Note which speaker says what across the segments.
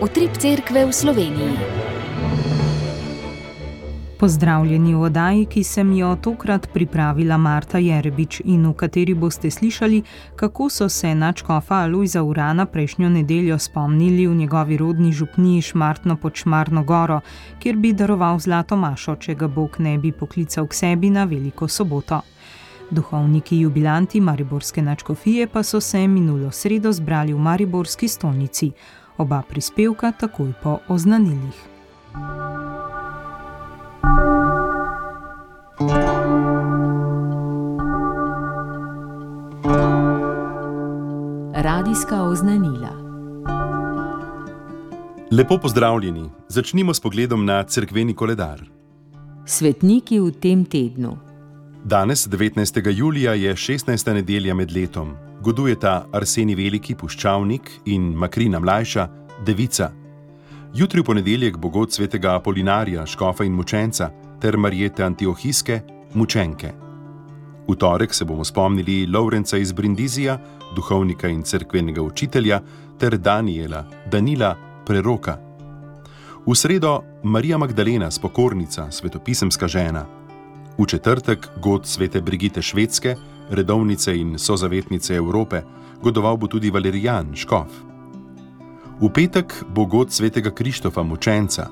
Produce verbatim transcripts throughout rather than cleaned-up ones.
Speaker 1: Utrip cerkve v Sloveniji.
Speaker 2: Pozdravljeni v oddaji, ki sem jo tokrat pripravila Marta Jerebič in v kateri boste slišali, kako so se nadškofa Alojza Urana prejšnjo nedeljo spomnili v njegovi rodni župniji Šmartno pod Šmarno goro, kjer bi daroval zlato mašo, če ga Bog ne bi poklical k sebi na veliko soboto. Duhovniki jubilanti mariborske nadškofije pa so se minulo sredo zbrali v mariborski stolnici. Oba prispevka takoj po oznanilih.
Speaker 1: Radijska oznanila.
Speaker 3: Lepo pozdravljeni. Začnimo s pogledom na cerkveni koledar.
Speaker 1: Svetniki v tem tednu.
Speaker 3: Danes, devetnajstega julija, je šestnajsta nedelja med letom. Godujeta Arsenij Veliki, puščavnik, in Makrina Mlajša, devica. Jutri v ponedeljek bo god svetega Apolinarja, škofa in mučenca, ter Marjete Antiohijske, mučenke. V torek se bomo spomnili Lovrenca iz Brindizija, duhovnika in cerkvenega učitelja, ter Daniela, Danila, preroka. V sredo Marija Magdalena, spokornica, svetopisemska žena. V četrtek god svete Brigite Švedske, redovnice in sozavetnice Evrope, godoval bo tudi Valerijan, škof. V petek bo god svetega Krištofa, mučenca.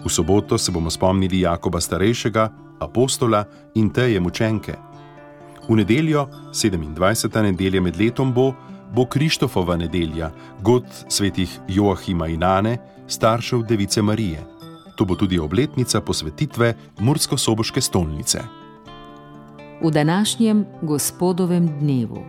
Speaker 3: V soboto se bomo spomnili Jakoba starejšega, apostola in Teje, mučenke. V nedeljo, sedemindvajseta nedelja med letom bo, bo Krištofova nedelja, god svetih Joahima in Ane, staršev device Marije. To bo tudi obletnica posvetitve mursko-soboške stolnice.
Speaker 1: V današnjem gospodovem dnevu.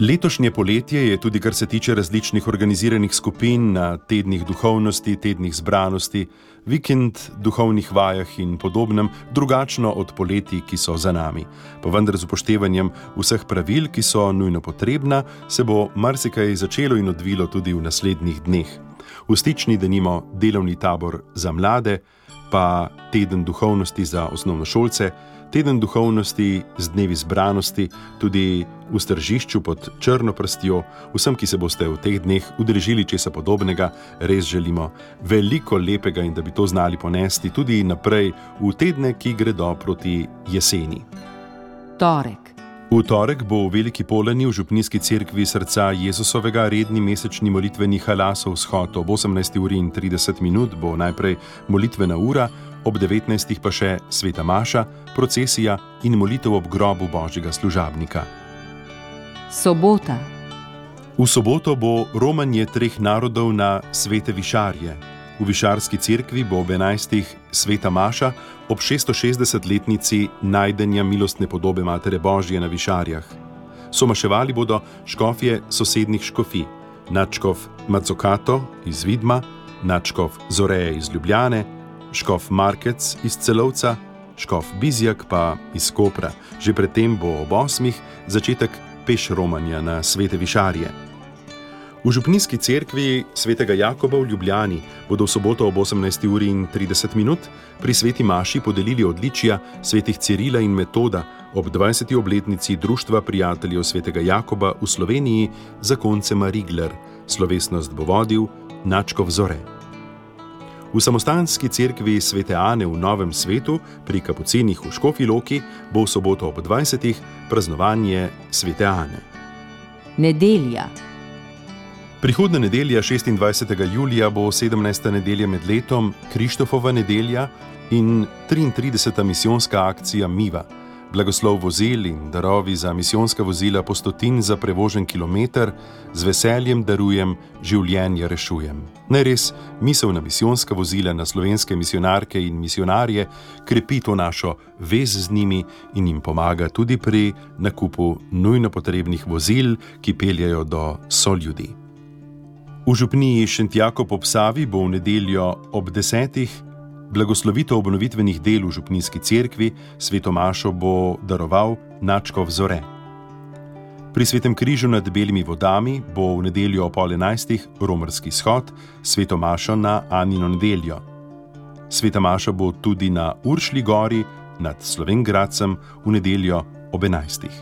Speaker 3: Letošnje poletje je tudi, kar se tiče različnih organiziranih skupin na tednih duhovnosti, tednih zbranosti, vikend, duhovnih vajah in podobnem, drugačno od poletij, ki so za nami. Pa vendar z upoštevanjem vseh pravil, ki so nujno potrebna, se bo marsikaj začelo in odvilo tudi v naslednjih dneh. V stični denimo delovni tabor za mlade, pa teden duhovnosti za osnovnošolce, teden duhovnosti z dnevi zbranosti, tudi v Stržišču pod Črno prstjo. Vsem, ki se boste v teh dneh udeležili česa podobnega, res želimo veliko lepega in da bi to znali ponesti tudi naprej v tedne, ki gredo proti jeseni.
Speaker 1: Torek.
Speaker 3: V torek bo v Veliki Polani v župnijski cerkvi Srca Jezusovega redni mesečni molitveni halasov shod. Ob osemnajsti uri in trideset minut bo najprej molitvena ura, ob devetnajstih pa še sveta maša, procesija in molitev ob grobu Božjega služabnika.
Speaker 1: Sobota.
Speaker 3: V soboto bo romanje treh narodov na svete višarje. V višarski cerkvi bo ob enajstih sveta maša, ob šeststošestdesetletnici najdenja milostne podobe Matere Božje na višarjah. Somaševali bodo škofje sosednjih škofij, nadškof Mazzocato iz Vidma, nadškof Zoreje iz Ljubljane, škof Markec iz Celovca, škof Bizjak pa iz Kopra. Že predtem bo ob osmih začetek peš romanja na svete višarje. V župnijski cerkvi svetega Jakoba v Ljubljani bodo v soboto ob osemnajsti uri in trideset minut pri sveti maši podelili odličja svetih Cirila in Metoda ob dvajseti obletnici Društva prijateljev svetega Jakoba v Sloveniji zakoncema Rigler. Slovesnost bo vodil nadškof Zore. V samostanski cerkvi svete Ane v Novem svetu pri Kapucinih v Škofji Loki bo v soboto ob dvajsetih praznovanje svete Ane.
Speaker 1: Nedelja.
Speaker 3: Prihodna nedelja, šestindvajsetega julija, bo sedemnajsta nedelja med letom, Krištofova nedelja in triintrideseta misijonska akcija Miva. Blagoslov vozil in darovi za misijonska vozila po stotin za prevožen kilometer, z veseljem darujem, življenje rešujem. Najres, misel na misijonska vozila, na slovenske misionarke in misionarje krepi to našo vez z njimi in jim pomaga tudi pri nakupu nujno potrebnih vozil, ki peljejo do soljudi. V župniji Šentjakov ob Savi bo v nedeljo ob desetih blagoslovitev obnovitvenih del v župnijski cerkvi, sveto mašo bo daroval nadškof Zore. Pri svetem križu nad Belimi vodami bo v nedeljo ob pol enajstih romarski shod, sveto mašo na Anino nedeljo. Sveta maša bo tudi na Uršlji gori nad Slovenj Gradcem v nedeljo ob enajstih.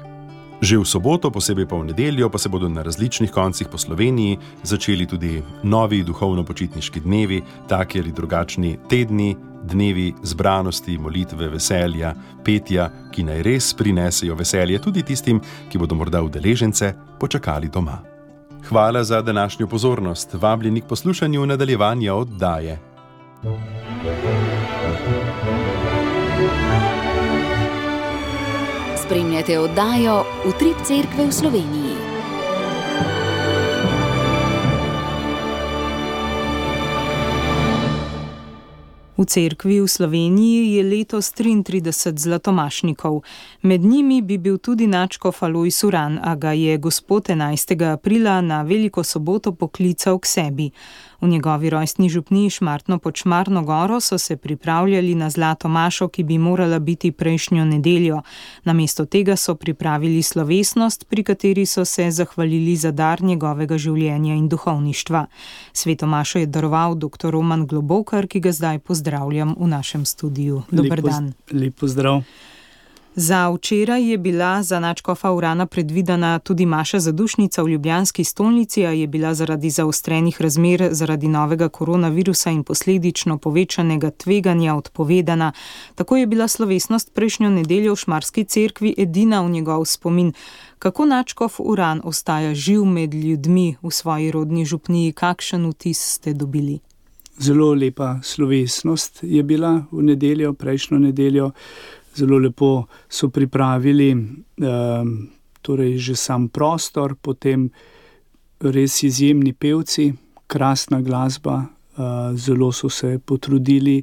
Speaker 3: Že v soboto, posebej pa v nedeljo, pa se bodo na različnih koncih po Sloveniji začeli tudi novi duhovno-počitniški dnevi, taki ali drugačni tedni, dnevi zbranosti, molitve, veselja, petja, ki naj res prinesejo veselje tudi tistim, ki bodo morda udeležence počakali doma. Hvala za današnjo pozornost. Vabljeni k poslušanju nadaljevanja oddaje.
Speaker 4: Spremljate oddajo Utrip Cerkve v Sloveniji.
Speaker 2: V cerkvi v Sloveniji je letos triintrideset zlatomašnikov. Med njimi bi bil tudi nadškof Alojz Uran, a ga je gospod enajstega aprila na veliko soboto poklical k sebi. V njegovi rojstni župniji Šmartno pod Šmarno goro so se pripravljali na zlato mašo, ki bi morala biti prejšnjo nedeljo. Namesto tega so pripravili slovesnost, pri kateri so se zahvalili za dar njegovega življenja in duhovništva. Sveto mašo je daroval doktor Roman Globokar, ki ga zdaj pozdravljam v našem studiu. Dober dan.
Speaker 5: Lep pozdrav.
Speaker 2: Za včeraj je bila za nadškofa Urana predvidena tudi maša zadušnica v ljubljanski stolnici, a je bila zaradi zaostrenih razmer zaradi novega koronavirusa in posledično povečanega tveganja odpovedana. Tako je bila slovesnost prejšnjo nedeljo v Šmarski cerkvi edina v njegov spomin. Kako nadškof Uran ostaja živ med ljudmi v svoji rodni župniji? Kakšen vtis ste dobili?
Speaker 5: Zelo lepa slovesnost je bila v nedeljo, prejšnjo nedeljo. Zelo lepo so pripravili eh, torej že sam prostor, potem res izjemni pevci, krasna glasba, eh, zelo so se potrudili,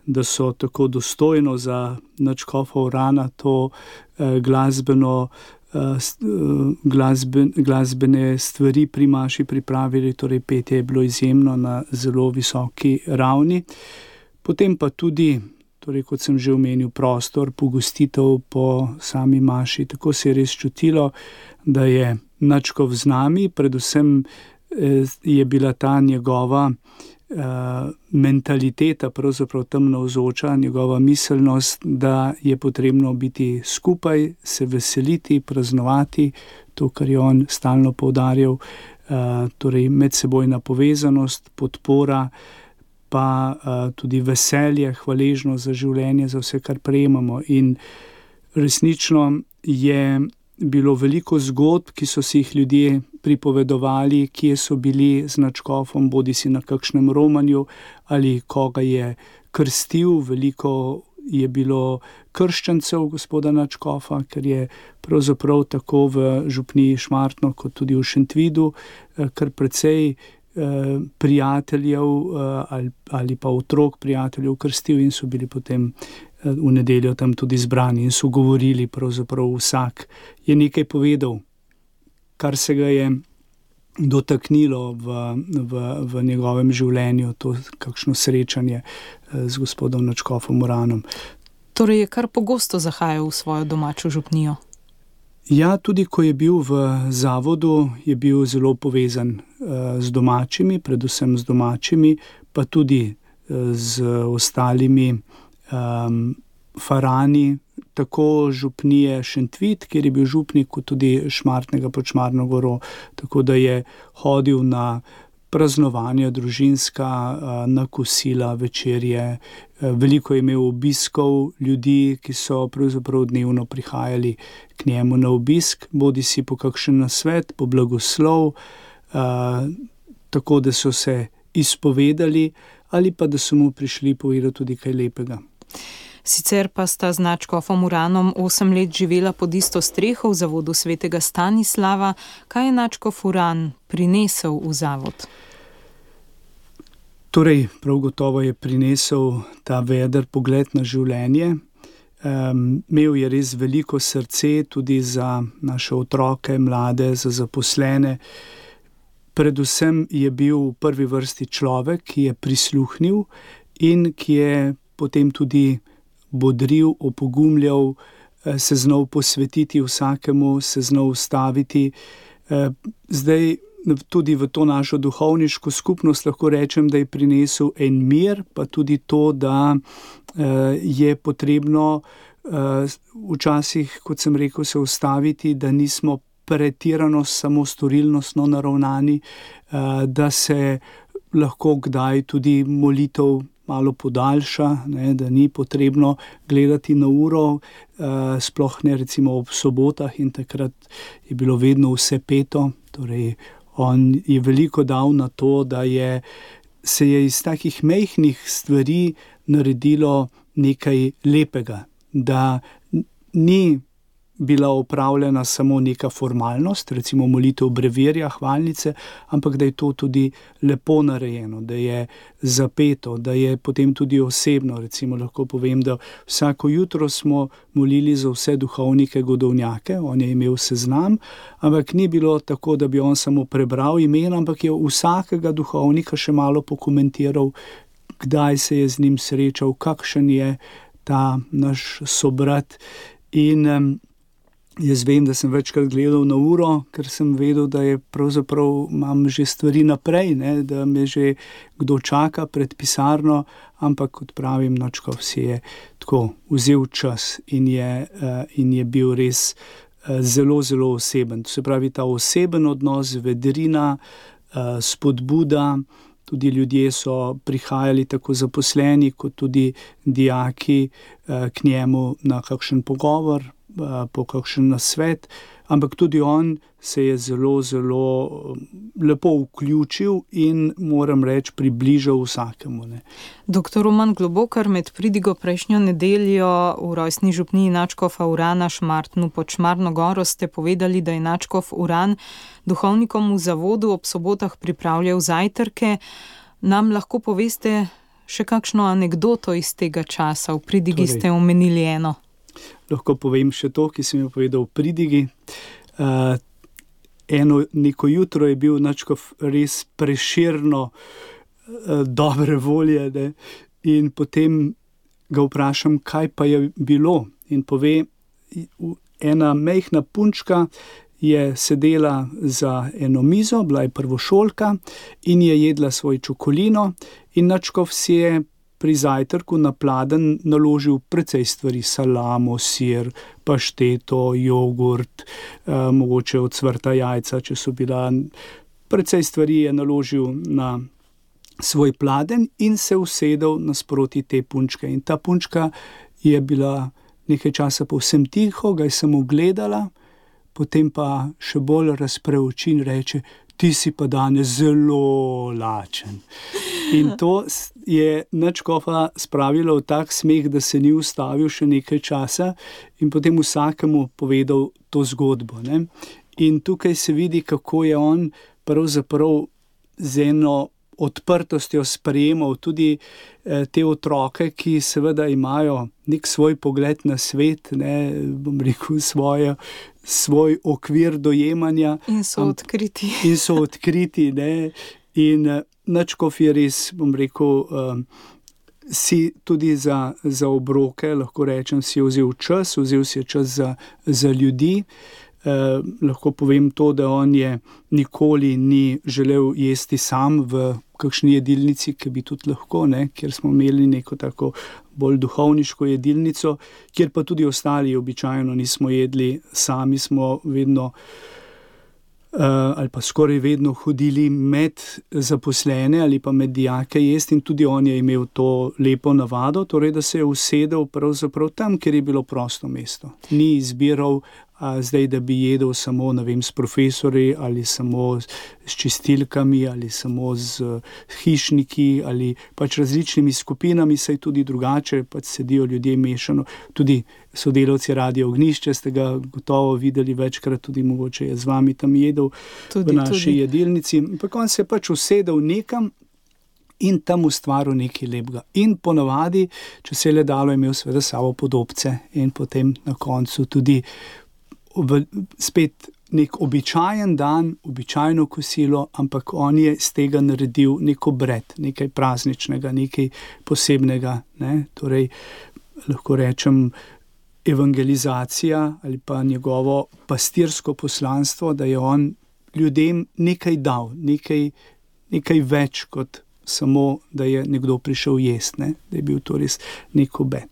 Speaker 5: da so tako dostojno za nadškofa Urana to eh, glasbeno, eh, glasben, glasbene stvari pri maši pripravili, torej petje je bilo izjemno na zelo visoki ravni. Potem pa tudi, torej, kot sem že omenil, prostor, pogostitev po sami maši. Tako se je res čutilo, da je nadškof z nami, predvsem eh, je bila ta njegova eh, mentaliteta pravzaprav tam navzoča, njegova miselnost, da je potrebno biti skupaj, se veseliti, praznovati, to, kar je on stalno poudarjal, eh, torej medsebojna povezanost, podpora, pa uh, tudi veselje, hvaležnost za življenje, za vse, kar prejemamo. In resnično je bilo veliko zgodb, ki so si jih ljudje pripovedovali, kje so bili z nadškofom, bodi si na kakšnem romanju ali koga je krstil. Veliko je bilo krščancev gospoda nadškofa, ker je pravzaprav tako v župniji Šmartno kot tudi v Šentvidu kar precej prijateljev ali, ali pa otrok prijateljev krstil in so bili potem v nedeljo tam tudi zbrani in so govorili, pravzaprav vsak je nekaj povedal, kar se ga je dotaknilo v, v, v njegovem življenju, to kakšno srečanje z gospodom nadškofom Uranom.
Speaker 2: Torej je kar pogosto zahajal v svojo domačo župnijo?
Speaker 5: Ja, tudi ko je bil v zavodu, je bil zelo povezan z domačimi, predvsem z domačimi, pa tudi z ostalimi um, farani, tako župnije Šentvid, kjer je bil župnik, kot tudi Šmartnega pod Šmarno goro, tako da je hodil na praznovanja družinska, na kosila, večerje. Veliko je imel obiskov ljudi, ki so pravzaprav dnevno prihajali k njemu na obisk, bodi si po kakšen nasvet, po blagoslov, tako da so se izpovedali ali pa da so mu prišli povedati tudi kaj lepega.
Speaker 2: Sicer pa sta z nadškofom Uranom osem let živela pod isto streho v zavodu svetega Stanislava. Kaj je nadškof Uran prinesel v zavod?
Speaker 5: Torej, prav gotovo je prinesel ta veder pogled na življenje. Um, imel je res veliko srce tudi za naše otroke, mlade, za zaposlene. Predvsem je bil v prvi vrsti človek, ki je prisluhnil in ki je potem tudi bodril, opogumljal, se znal posvetiti vsakemu, se znal ustaviti. Zdaj tudi v to našo duhovniško skupnost lahko rečem, da je prinesel en mir, pa tudi to, da je potrebno včasih, kot sem rekel, se ustaviti, da nismo pretirano samo storilnostno naravnani, da se lahko kdaj tudi molitev malo podaljša, ne, da ni potrebno gledati na uro, sploh ne recimo ob sobotah, in takrat je bilo vedno vse peto. Torej, on je veliko dal na to, da je, se je iz takih majhnih stvari naredilo nekaj lepega, da ni bila opravljena samo neka formalnost, recimo molitev brevirja, hvalnice, ampak da je to tudi lepo narejeno, da je zapeto, da je potem tudi osebno. Recimo lahko povem, da vsako jutro smo molili za vse duhovnike godovnjake, on je imel seznam, ampak ni bilo tako, da bi on samo prebral imena, ampak je vsakega duhovnika še malo pokomentiral, kdaj se je z njim srečal, kakšen je ta naš sobrat. In um, jaz vem, da sem večkrat gledal na uro, ker sem vedel, da je pravzaprav imam že stvari naprej, ne, da me že kdo čaka pred pisarno, ampak kot pravim, Nadškof si je tako vzel čas in je, uh, in je bil res uh, zelo, zelo oseben. To se pravi, ta oseben odnos, vedrina, uh, spodbuda. Tudi ljudje so prihajali, tako zaposleni, kot tudi dijaki, k njemu na kakšen pogovor, po kakšen nasvet, ampak tudi on se je zelo, zelo lepo vključil in, moram reči, približal vsakemu. Ne.
Speaker 2: Doktor Roman Globokar, med pridigo prejšnjo nedeljo v rojstni župniji Nadškofa Urana Šmartnu pod Šmarno goro ste povedali, da je Nadškof Uran duhovnikom v zavodu ob sobotah pripravljal zajtrke. Nam lahko poveste še kakšno anekdoto iz tega časa? V pridigi torej, ste omenili eno.
Speaker 5: Lahko povem še to, ki sem jo povedal v pridigi. Uh, eno neko jutro je bil Nadškof res preširno uh, dobre volje, ne? In potem ga vprašam, kaj pa je bilo. In pove, ena majhna punčka je sedela za eno mizo, bila je prvošolka in je jedla svoj čokolino in Nadškof si je pri zajtrku na pladenj naložil precej stvari, salamo, sir, pašteto, jogurt, eh, mogoče ocvrta jajca, če so bila. Precej stvari je naložil na svoj pladenj in se usedel nasproti te punčke. In ta punčka je bila nekaj časa povsem tiho, ga je samo gledala, potem pa še bolj razpre oči in reče: ti si pa danes zelo lačen. In to je Nadškofa spravilo v tak smeh, da se ni ustavil še nekaj časa in potem vsakemu povedal to zgodbo. Ne? In tukaj se vidi, kako je on pravzaprav z eno odprtostjo sprejemal tudi eh, te otroke, ki seveda imajo nek svoj pogled na svet, ne, bom rekel, svoje, svoj okvir dojemanja.
Speaker 2: In so odkriti.
Speaker 5: In so odkriti, ne. In uh, Nadškof je res, bom rekel, um, si tudi za, za obroke, lahko rečem, si je vzel čas, vzel si je čas za, za ljudi. Uh, lahko povem to, da on je nikoli ni želel jesti sam v kakšni jedilnici, ki bi tudi lahko, ne, kjer smo imeli neko tako bolj duhovniško jedilnico, kjer pa tudi ostali običajno nismo jedli sami, smo vedno uh, ali pa skoraj vedno hodili med zaposlene ali pa med dijake jesti in tudi on je imel to lepo navado, torej da se je usedel pravzaprav tam, kjer je bilo prosto mesto. Ni izbiral a zdaj, da bi jedel samo, ne vem, s profesori ali samo s čistilkami ali samo z hišniki ali pač različnimi skupinami, saj tudi drugače pač sedijo ljudje mešano. Tudi sodelavci Radia Ognjišče ste ga gotovo videli večkrat, tudi mogoče je z vami tam jedel tudi, v naši tudi. jedilnici. Ampak on se je pač usedel nekam in tam ustvaril nekaj lepega. In ponavadi, če se je le dalo, imel seveda sabo podobce in potem na koncu tudi v, spet nek običajen dan, običajno kosilo, ampak on je z tega naredil nek obred, nekaj prazničnega, nekaj posebnega. Ne? Torej, lahko rečem, evangelizacija ali pa njegovo pastirsko poslanstvo, da je on ljudem nekaj dal, nekaj, nekaj več kot samo, da je nekdo prišel jest, ne? Da je bil to res nek obet.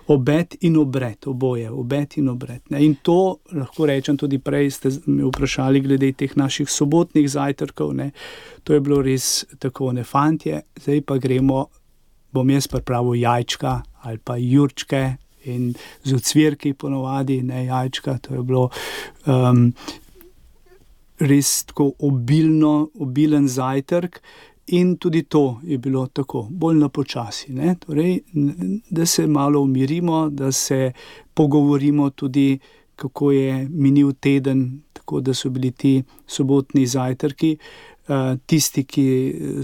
Speaker 5: Obet in obred, oboje, obet in obred. Ne? In to, lahko rečem, tudi prej ste me vprašali glede teh naših sobotnih zajtrkov, ne? To je bilo res tako, ne, fantje, zdaj pa gremo, bom jaz pripravil jajčka ali pa jurčke in z ocvirki ponovadi, ne, jajčka, to je bilo um, res tako obilno, obilen zajtrk. In tudi to je bilo tako, bolj na počasi, ne, torej, da se malo umirimo, da se pogovorimo tudi, kako je minil teden, tako da so bili ti sobotni zajtrki, uh, tisti, ki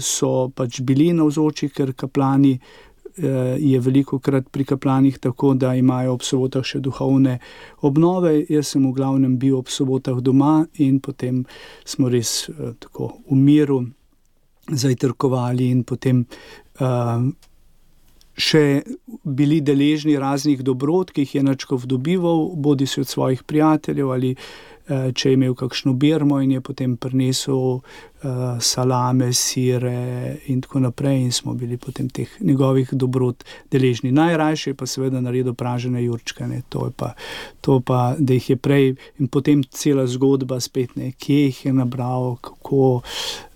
Speaker 5: so pač bili navzoči, ker kaplani uh, je velikokrat pri kaplanih tako, da imajo ob sobotah še duhovne obnove. Jaz sem v glavnem bil ob sobotah doma in potem smo res uh, tako v miru zajtrkovali in potem uh, še bili deležni raznih dobrot, ki jih je nadškof dobival, bodi si od svojih prijateljev ali uh, če je imel kakšno birmo in je potem prinesel uh, salame, sire in tako naprej in smo bili potem teh njegovih dobrot deležni. Najrajše je pa seveda naredil pražene jurčke, ne, to je pa, to pa, da jih je prej in potem cela zgodba spet, ne, kje jih je nabral, kako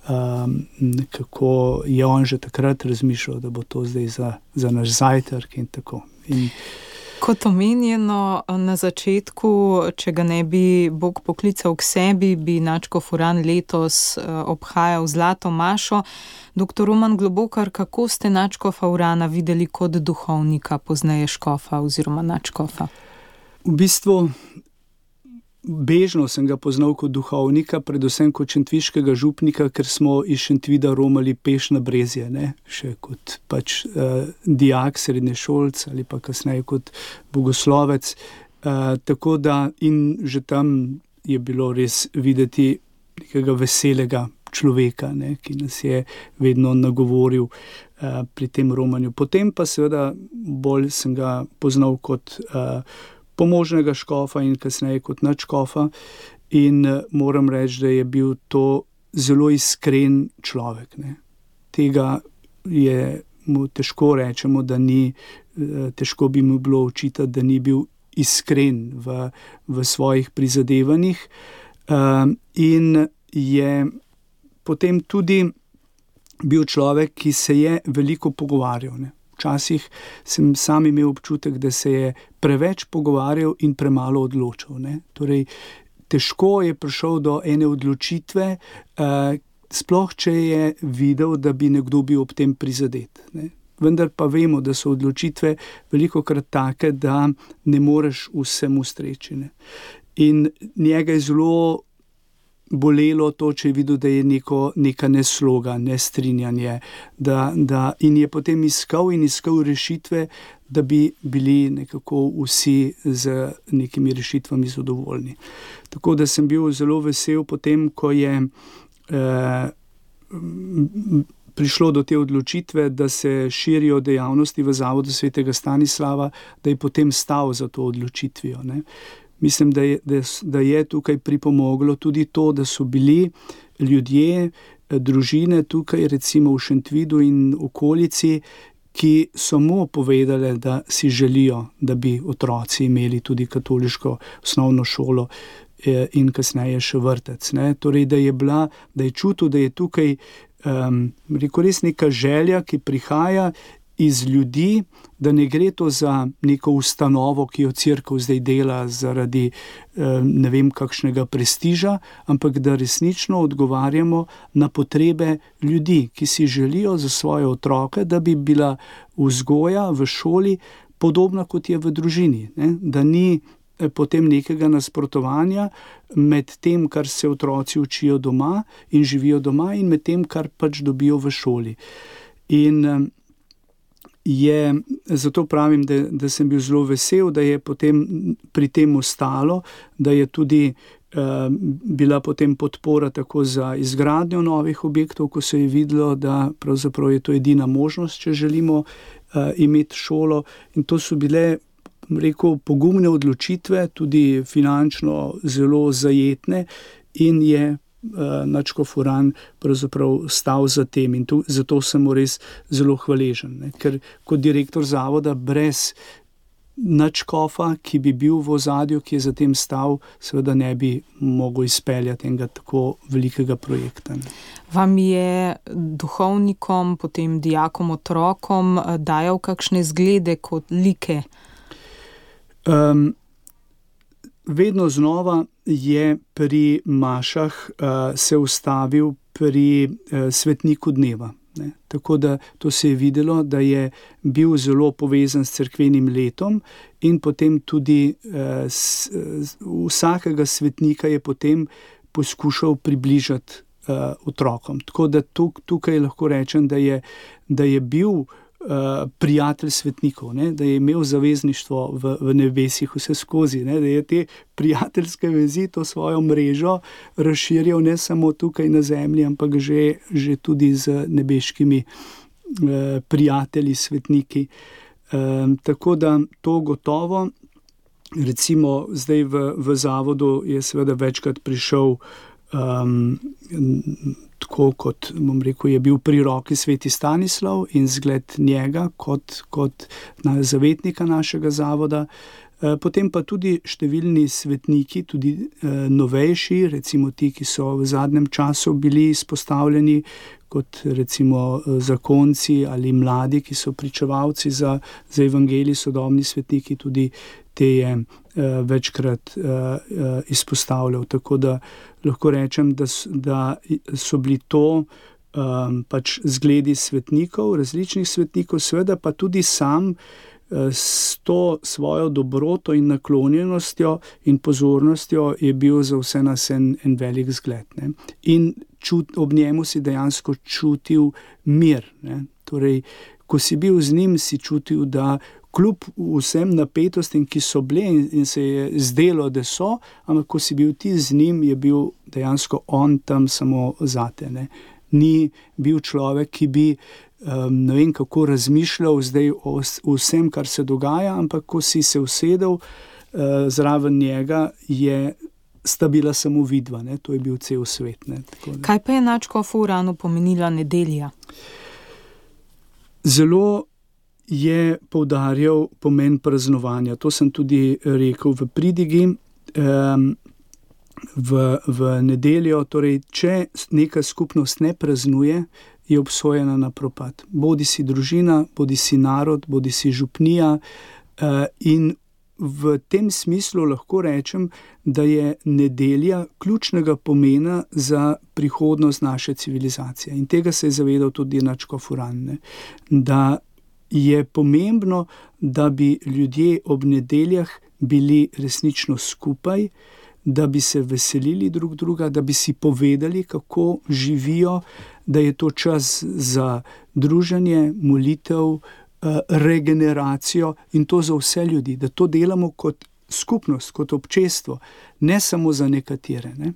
Speaker 5: Um, kako je on že takrat razmišljal, da bo to zdaj za, za naš zajtrk in tako. In
Speaker 2: kot omenjeno na začetku, če ga ne bi Bog poklical k sebi, bi nadškof Uran letos obhajal zlato mašo. Doktor Roman Globokar, kako ste nadškofa Urana videli kot duhovnika, pozneje škofa oziroma nadškofa?
Speaker 5: V bistvu bežno sem ga poznal kot duhovnika, predvsem kot šentviškega župnika, ker smo iz Šentvida romali peš na Brezje, ne? Še kot pač uh, dijak, srednješolc ali pa kasneje kot bogoslovec. Uh, tako da in že tam je bilo res videti nekega veselega človeka, ne? Ki nas je vedno nagovoril uh, pri tem romanju. Potem pa seveda bolj sem ga poznal kot uh, pomožnega škofa in kasneje kot nadškofa in moram reči, da je bil to zelo iskren človek, ne. Tega je mu težko rečemo, da ni, težko bi mu bilo očitati, da ni bil iskren v, v svojih prizadevanjih in je potem tudi bil človek, ki se je veliko pogovarjal, ne. Včasih sem sam imel občutek, da se je preveč pogovarjal in premalo odločil, ne. Torej, težko je prišel do ene odločitve, eh, sploh če je videl, da bi nekdo bil ob tem prizadet, ne. Vendar pa vemo, da so odločitve velikokrat take, da ne moreš vsemu ustreči, ne. In njega je zelo bolelo to, če je videl, da je neko, neka nesloga, nestrinjanje, da, da, in je potem iskal in iskal rešitve, da bi bili nekako vsi z nekimi rešitvami zadovoljni. Tako da sem bil zelo vesel potem, ko je eh, prišlo do te odločitve, da se širijo dejavnosti v Zavodu svetega Stanislava, da je potem stal za to odločitvijo, ne. Mislim, da je, da, da je tukaj pripomoglo tudi to, da so bili ljudje, družine tukaj, recimo v Šentvidu in okolici, ki so mu povedali, da si želijo, da bi otroci imeli tudi katoliško osnovno šolo in kasneje še vrtec, ne. Torej, da je bila, da je čutil, da je tukaj um, rekel, res neka želja, ki prihaja iz ljudi, da ne gre to za neko ustanovo, ki jo cerkev zdaj dela zaradi ne vem kakšnega prestiža, ampak da resnično odgovarjamo na potrebe ljudi, ki si želijo za svoje otroke, da bi bila vzgoja v šoli podobna, kot je v družini, ne? Da ni potem nekega nasprotovanja med tem, kar se otroci učijo doma in živijo doma, in med tem, kar pač dobijo v šoli. In je, zato pravim, da, da sem bil zelo vesel, da je potem pri tem ostalo, da je tudi uh, bila potem podpora tako za izgradnjo novih objektov, ko se je videlo, da pravzaprav je to edina možnost, če želimo uh, imeti šolo. In to so bile, rekel, pogumne odločitve, tudi finančno zelo zajetne, in je nadškof Uran pravzaprav stal za tem in tu, zato sem mu res zelo hvaležen, ne? Ker kot direktor zavoda brez nadškofa, ki bi bil v ozadju, ki je za tem stal, seveda ne bi mogel izpeljati enega tako velikega projekta. Ne?
Speaker 2: Vam je duhovnikom, potem dijakom, otrokom dajal kakšne zglede kot like?
Speaker 5: Um, vedno znova je pri mašah uh, se ustavil pri uh, svetniku dneva. Ne. Tako da to se je videlo, da je bil zelo povezan s cerkvenim letom in potem tudi uh, s, uh, vsakega svetnika je potem poskušal približati uh, otrokom. Tako da tuk, tukaj lahko rečem, da je, da je bil Uh, prijatelj svetnikov, ne? Da je imel zavezništvo v, v nebesih vse skozi, ne? Da je te prijateljske vezi, to svojo mrežo razširjal ne samo tukaj na zemlji, ampak že, že tudi z nebeškimi uh, prijatelji, svetniki. Um, tako da to gotovo, recimo zdaj v, v zavodu je seveda večkrat prišel um, tako kot, bom rekel, je bil pri roki sveti Stanislav in zgled njega kot, kot na zavetnika našega zavoda. Potem pa tudi številni svetniki, tudi novejši, recimo ti, ki so v zadnjem času bili izpostavljeni, kot recimo zakonci ali mladi, ki so pričevalci za, za evangelij, sodobni svetniki, tudi te je uh, večkrat uh, uh, izpostavljal. Tako da lahko rečem, da, da so bili to um, pač zgledi svetnikov, različnih svetnikov, seveda pa tudi sam uh, s to svojo dobroto in naklonjenostjo in pozornostjo je bil za vse nas en, en velik zgled. Ne? In čut, ob njemu si dejansko čutil mir. Ne? Torej, ko si bil z njim, si čutil, da kljub vsem napetostim, ki so bile in, in se je zdelo, da so, ampak ko si bil ti z njim, je bil dejansko on tam samo zate. Ne? Ni bil človek, ki bi um, ne vem kako razmišljal zdaj o, o vsem, kar se dogaja, ampak ko si se usedel uh, zraven njega, je sta bila samo vidva, ne? To je bil cel svet. Ne?
Speaker 2: Kaj pa je nadškofu Uranu pomenila nedelja?
Speaker 5: Zelo je poudarjal pomen praznovanja. To sem tudi rekel v pridigi. Um, v, v nedeljo, torej, če neka skupnost ne praznuje, je obsojena na propad. Bodi si družina, bodi si narod, bodi si župnija. Uh, in v tem smislu lahko rečem, da je nedelja ključnega pomena za prihodnost naše civilizacije. In tega se je zavedal tudi nadškof Uran, ne? Da je pomembno, da bi ljudje ob nedeljah bili resnično skupaj, da bi se veselili drug druga, da bi si povedali, kako živijo, da je to čas za druženje, molitev, regeneracijo in to za vse ljudi, da to delamo kot skupnost, kot občestvo, ne samo za nekatere. Ne?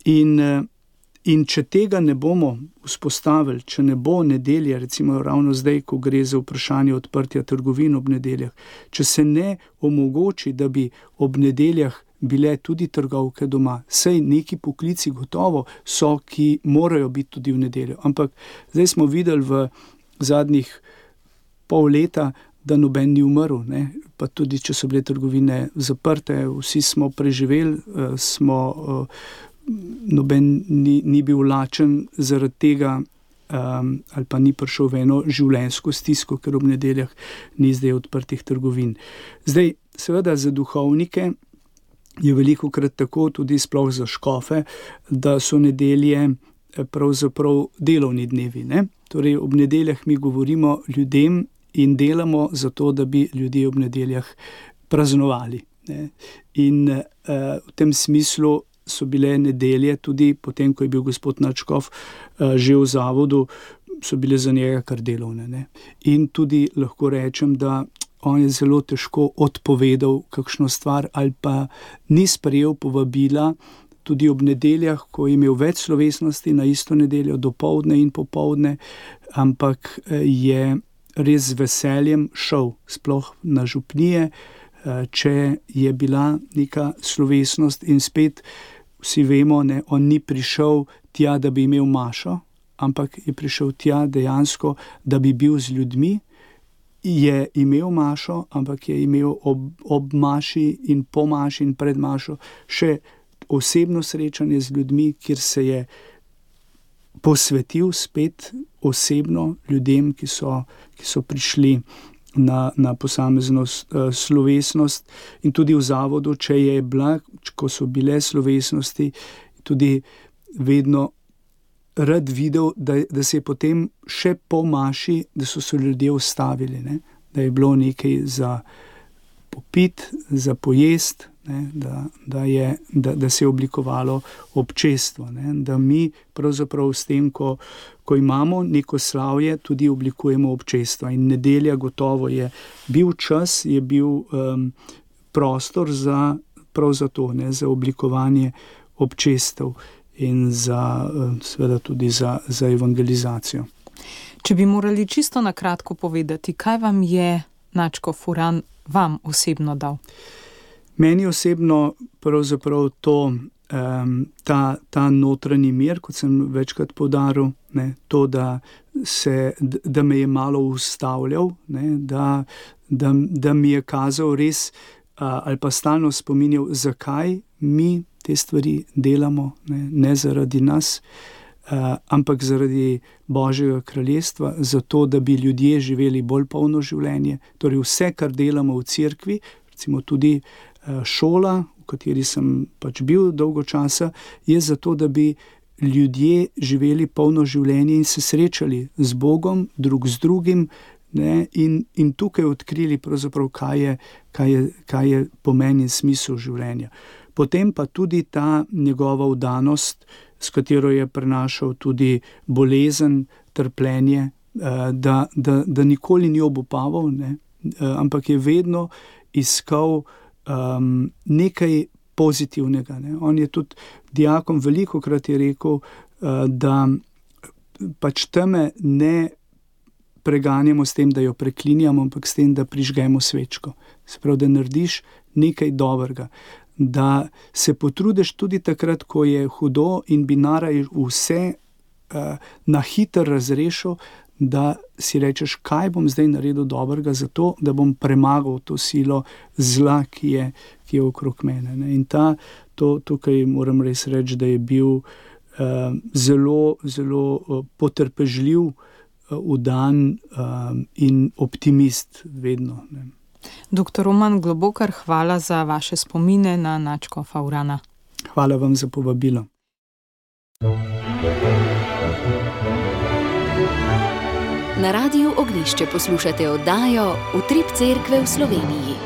Speaker 5: In In če tega ne bomo vzpostavili, če ne bo nedelja, recimo ravno zdaj, ko gre za vprašanje odprtja trgovin ob nedeljah, če se ne omogoči, da bi ob nedeljah bile tudi trgovke doma, saj neki poklici gotovo so, ki morajo biti tudi v nedeljo. Ampak zdaj smo videli v zadnjih pol leta, da noben ni umrl, ne? Pa tudi če so bile trgovine zaprte, vsi smo preživeli, smo noben ni, ni bil lačen zaradi tega um, ali pa ni prišel v eno življenjsko stisko, ker ob nedeljah ni zdaj odprtih trgovin. Zdaj, seveda za duhovnike je velikokrat tako, tudi sploh za škofe, da so nedelje pravzaprav delovni dnevi. Ne? Torej, ob nedeljah mi govorimo ljudem in delamo zato, da bi ljudje ob nedeljah praznovali. Ne? In uh, v tem smislu so bile nedelje, tudi potem, ko je bil gospod nadškof uh, že v zavodu, so bile za njega kar delovne. Ne? In tudi lahko rečem, da on je zelo težko odpovedal kakšno stvar ali pa ni sprejel povabila tudi ob nedeljah, ko je imel več slovesnosti na isto nedeljo, dopoldne in popoldne, ampak je res z veseljem šel sploh na župnije, če je bila neka slovesnost in spet vsi vemo, ne, on ni prišel tja, da bi imel mašo, ampak je prišel tja dejansko, da bi bil z ljudmi, je imel mašo, ampak je imel ob, ob maši in po maši in pred mašo še osebno srečanje z ljudmi, kjer se je posvetil spet osebno ljudem, ki so, ki so prišli na, na posamezno uh, slovesnost, in tudi v zavodu, če je bila, ko so bile slovesnosti, tudi vedno rad videl, da, da se je potem še po maši, da so se ljudje ustavili, ne? Da je bilo nekaj za popit, za pojest, ne? Da, da, je, da, da se je oblikovalo občestvo, ne? Da mi pravzaprav s tem, ko, ko imamo neko slavje, tudi oblikujemo občestvo. In nedelja gotovo je bil čas, je bil um, prostor za, prav za to, ne? Za oblikovanje občestev in za, seveda tudi za, za evangelizacijo.
Speaker 2: Če bi morali čisto na kratko povedati, kaj vam je nadškof Uran vam osebno dal?
Speaker 5: Meni osebno pravzaprav to, um, ta, ta notranji mir, kot sem večkrat poudaril, ne, to, da, se, da me je malo ustavljal, ne, da, da, da mi je kazal res uh, ali pa stalno spominjal, zakaj mi te stvari delamo, ne, ne zaradi nas, uh, ampak zaradi Božjega kraljestva, zato, da bi ljudje živeli bolj polno življenje. Torej vse, kar delamo v cerkvi, recimo tudi uh, šola, v kateri sem pač bil dolgo časa, je zato, da bi ljudje živeli polno življenje in se srečali z Bogom, drug z drugim, ne, in, in tukaj odkrili pravzaprav, kaj je, kaj je, kaj je pomen in smisel življenja. Potem pa tudi ta njegova vdanost, s katero je prenašal tudi bolezen, trpljenje, da, da, da nikoli ni obupaval, ne, ampak je vedno iskal um, nekaj pozitivnega. Ne. On je tudi dijakom velikokrat je rekel, da pač teme ne preganjamo s tem, da jo preklinjamo, ampak s tem, da prižgemo svečko. Se pravi, da narediš nekaj dobrega. Da se potrudiš tudi takrat, ko je hudo in bi naraj vse uh, na hiter razrešil, da si rečeš, kaj bom zdaj naredil dobrega za to, da bom premagal to silo zla, ki je, ki je okrog mene. Ne? In ta, to, tukaj moram res reči, da je bil uh, zelo, zelo uh, potrpežljiv, uh, vdan uh, in optimist vedno. Ne?
Speaker 2: Doktor Roman Globokar, hvala za vaše spomine na nadškofa Urana.
Speaker 5: Hvala vam za povabilo.
Speaker 4: Na Radiu Ognjišče poslušate oddajo Utrip cerkve v Sloveniji.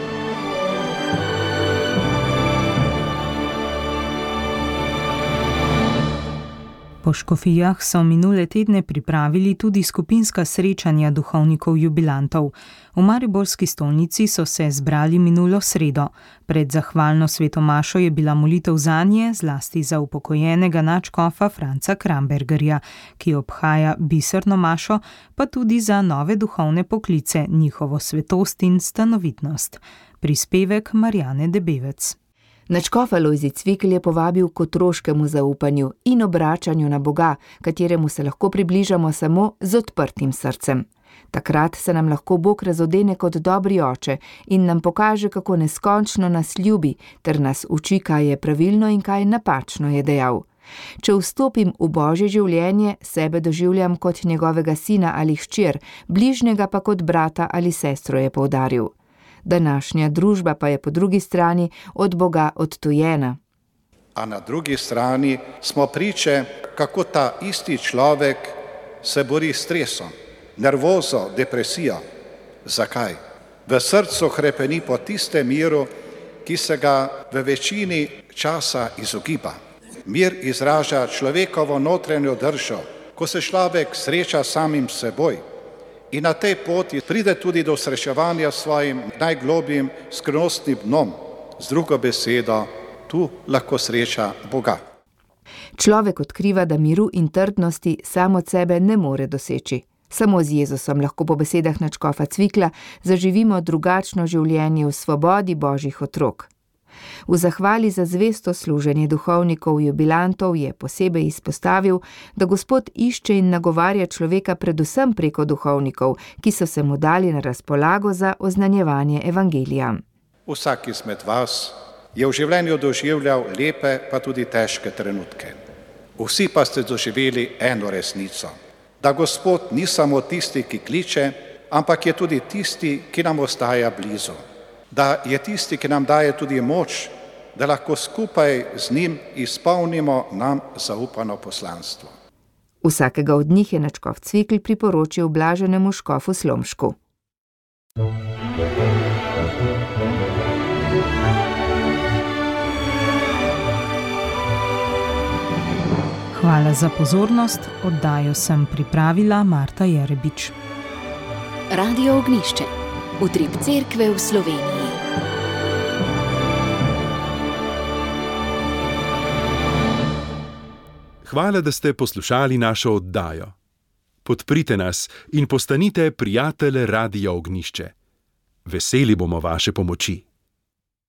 Speaker 2: Po škofijah so minule tedne pripravili tudi skupinska srečanja duhovnikov jubilantov. V mariborski stolnici so se zbrali minulo sredo. Pred zahvalno svetomašo je bila molitev zanje, zlasti za upokojenega nadškofa Franca Krambergerja, ki obhaja biserno mašo, pa tudi za nove duhovne poklice, njihovo svetost in stanovitnost. Prispevek Marjane Debevec.
Speaker 6: Nadškof Alojzij Cvikl je povabil k otroškemu zaupanju in obračanju na Boga, kateremu se lahko približamo samo z odprtim srcem. Takrat se nam lahko Bog razodene kot dobri oče in nam pokaže, kako neskončno nas ljubi, ter nas uči, kaj je pravilno in kaj napačno, je dejal. Če vstopim v Božje življenje, sebe doživljam kot njegovega sina ali hčer, bližnjega pa kot brata ali sestro, je poudaril. Današnja družba pa je po drugi strani od Boga odtujena.
Speaker 7: A na drugi strani smo priče, kako ta isti človek se bori s stresom, nervozo, depresijo. Zakaj? V srcu hrepeni po tistem miru, ki se ga v večini časa izogiba. Mir izraža človekovo notranjo držo, ko se človek sreča samim seboj. In na tej poti pride tudi do srečevanja s svojim najglobjim skrivnostnim dnom. Z drugo besedo, tu lahko sreča Boga.
Speaker 6: Človek odkriva, da miru in trdnosti sam od sebe ne more doseči. Samo z Jezusom lahko po besedah nadškofa Cvikla zaživimo drugačno življenje v svobodi Božjih otrok. V zahvali za zvesto služenje duhovnikov jubilantov je posebej izpostavil, da Gospod išče in nagovarja človeka predvsem preko duhovnikov, ki so se mu dali na razpolago za oznanjevanje evangelija.
Speaker 7: Vsak izmed vas je v življenju doživljal lepe pa tudi težke trenutke. Vsi pa ste doživeli eno resnico, da Gospod ni samo tisti, ki kliče, ampak je tudi tisti, ki nam ostaja blizu. Da je tisti, ki nam daje tudi moč, da lahko skupaj z njim izpolnimo nam zaupano poslanstvo.
Speaker 6: Vsakega od njih je nadškof Cvikl priporočil blaženemu škofu Slomšku.
Speaker 2: Hvala za pozornost, oddajo sem pripravila Marta Jerebič.
Speaker 4: Radio Ognišče, utrip cerkve v Sloveniji.
Speaker 3: Hvala, da ste poslušali našo oddajo. Podprite nas in postanite prijatelj Radia Ognišče. Veseli bomo vaše pomoči.